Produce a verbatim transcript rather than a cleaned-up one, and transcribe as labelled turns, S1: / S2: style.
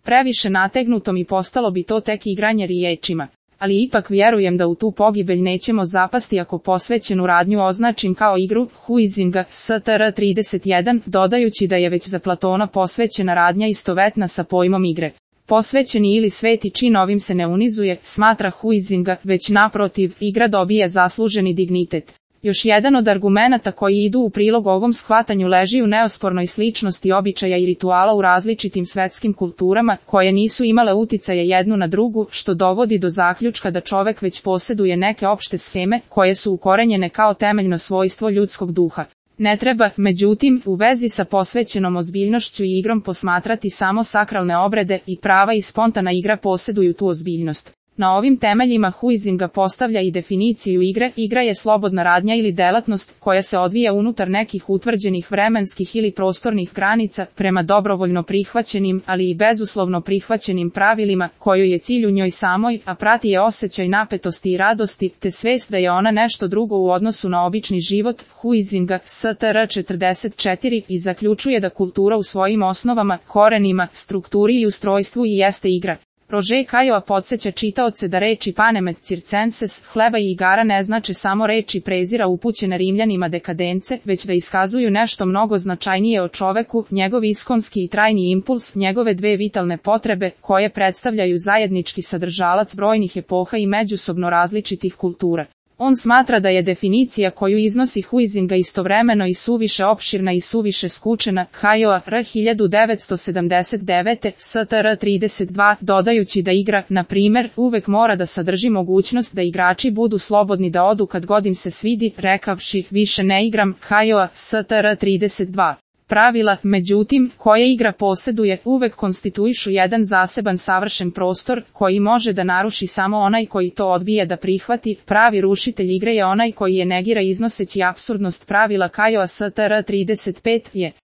S1: Previše nategnutom i postalo bi to tek igranje riječima. Ali ipak vjerujem da u tu pogibelj nećemo zapasti ako posvećenu radnju označim kao igru Huizinga S T R trideset jedan, dodajući da je već za Platona posvećena radnja istovetna sa pojmom igre. Posvećeni ili sveti čin ovim se ne unizuje, smatra Huizinga, već naprotiv, igra dobije zasluženi dignitet. Još jedan od argumenata koji idu u prilog ovom shvatanju leži u neospornoj sličnosti običaja i rituala u različitim svetskim kulturama, koje nisu imale uticaje jednu na drugu, što dovodi do zaključka da čovek već posjeduje neke opšte sheme, koje su ukorenjene kao temeljno svojstvo ljudskog duha. Ne treba, međutim, u vezi sa posvećenom ozbiljnošću i igrom posmatrati samo sakralne obrede i prava i spontana igra posjeduju tu ozbiljnost. Na ovim temeljima Huizinga postavlja i definiciju igre. Igra je slobodna radnja ili delatnost koja se odvija unutar nekih utvrđenih vremenskih ili prostornih granica prema dobrovoljno prihvaćenim, ali i bezuslovno prihvaćenim pravilima, kojoj je cilj u njoj samoj, a prati je osjećaj napetosti i radosti, te svest da je ona nešto drugo u odnosu na obični život. Huizinga S T R četrdeset četiri i zaključuje da kultura u svojim osnovama, korenima, strukturi i ustrojstvu i jeste igra. Rože Kajova podsjeća čitaoce da reči panem et circenses, hleba i igara ne znače samo reči prezira upućene Rimljanima dekadence, već da iskazuju nešto mnogo značajnije o čoveku, njegov iskonski i trajni impuls, njegove dve vitalne potrebe, koje predstavljaju zajednički sadržalac brojnih epoha i međusobno različitih kultura. On smatra da je definicija koju iznosi Huizinga istovremeno i suviše opširna i suviše skučena. Kajova R hiljadu devetsto sedamdeset devete S T R trideset dva, dodajući da igra, na primer, uvek mora da sadrži mogućnost da igrači budu slobodni da odu kad god im se svidi, rekavši više ne igram. Kajova S T R trideset dva. Pravila, međutim, koje igra posjeduje, uvek konstituišu jedan zaseban savršen prostor, koji može da naruši samo onaj koji to odbije da prihvati. Pravi rušitelj igre je onaj koji je negira iznoseći apsurdnost pravila. Kajova S T R trideset pet je